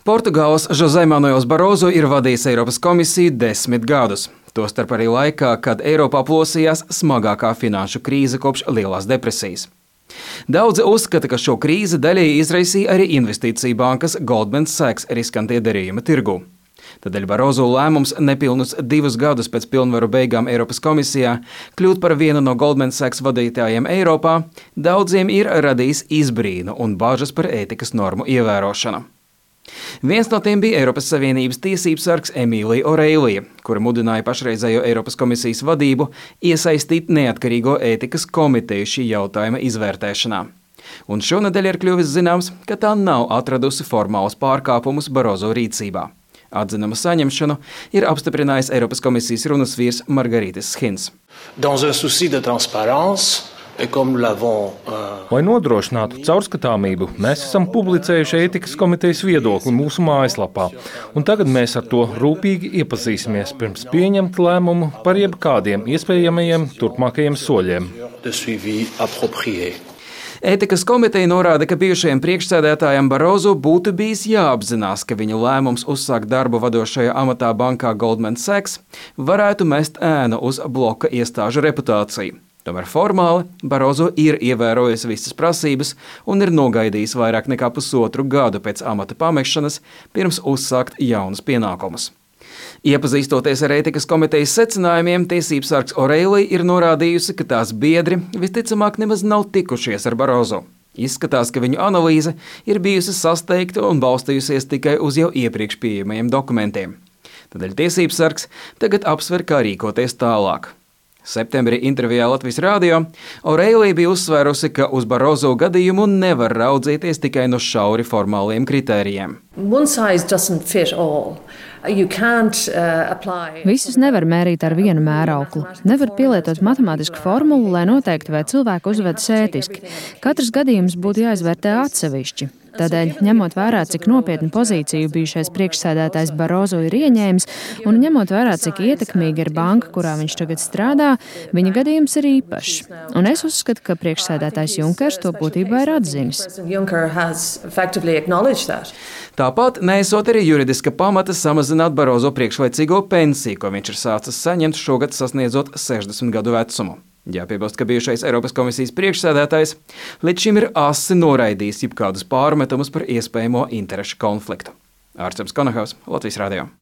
Portugāles José Manuels Barozo ir vadījis Eiropas komisiju 10 gadus. Tostarp arī laikā, kad Eiropā plosījās smagākā finanšu krīze kopš Lielās depresijas. Daudzi uzskata, ka šo krīzi daļēji izraisīja arī investīciju bankas Goldman Sachs riskantie darījumi tirgū. Tādēļ Barozo lēmums nepilnus 2 gadus pēc pilnvaru beigām Eiropas komisijā kļūt par vienu no Goldman Sachs vadītājiem Eiropā daudziem ir radījis izbrīnu un bažas par ētikas normu ievērošanu. Viens no tiem bija Eiropas Savienības tiesību sargs Emīlija Oreilija, kura mudināja pašreizējo Eiropas komisijas vadību iesaistīt neatkarīgo ētikas komiteju šī jautājuma izvērtēšanā. Un šonedēļ ir kļuvis zināms, ka tā nav atradusi formālus pārkāpumus Barozo rīcībā. Atzinuma saņemšanu ir apstiprinājis Eiropas komisijas runas vīrs Margarītis Schins. Lai nodrošinātu caurskatāmību, mēs esam publicējuši ētikas komitejas viedokli mūsu mājaslapā, un tagad mēs ar to rūpīgi iepazīsimies pirms pieņemt lēmumu par jebkādiem iespējamajiem turpmākajiem soļiem. Ētikas komiteja norāda, ka bijušajam priekšsēdētājam Barozo būtu bijis jāapzinās, ka viņa lēmums uzsākt darbu vadošajā amatā bankā Goldman Sachs varētu mest ēnu uz bloka iestāžu reputāciju. Tomēr formāli Barozo ir ievērojis visas prasības un ir nogaidījis vairāk nekā 1,5 gadu pēc amata pamešanas, pirms uzsākt jaunus pienākumus. Iepazīstoties ar ētikas komitejas secinājumiem, tiesību sargs Oreilija ir norādījusi, ka tās biedri visticamāk nemaz nav tikušies ar Barozo. Izskatās, ka viņu analīze ir bijusi sasteigta un balstījusies tikai uz jau iepriekš pieejamajiem dokumentiem. Tādēļ tiesību sargs tagad apsver, kā rīkoties tālāk. Septembrī intervijā Latvijas radio Oreilija bija uzsvērusi, ka uz Barozo gadījumu nevar raudzīties tikai no šauri formāliem kritērijiem. Visus nevar mērīt ar vienu mērauklu. Nevar pielietot matemātisku formulu, lai noteiktu, vai cilvēku uzvedas ētiski. Katrs gadījums būtu jāizvērtē atsevišķi. Tādēļ, ņemot vērā, cik nopietnu pozīciju bijušais priekšsēdētājs Barozo ir ieņēmis, un ņemot vērā, cik ietekmīga ir banka, kurā viņš tagad strādā, viņa gadījums ir īpašs. Un es uzskatu, ka priekšsēdētājs Junkers to būtībā ir atzinis. Tāpat neesot arī juridiska pamata samazināt Barozo priekšlaicīgo pensiju, ko viņš ir sācis saņemt šogad sasniedzot 60 gadu vecumu. Jāpiebilst, ka bijušais Eiropas komisijas priekšsēdētājs līdz šim ir asi noraidījis jebkādus pārmetumus par iespējamo interešu konfliktu. Ārsts Konahaus, Latvijas radio.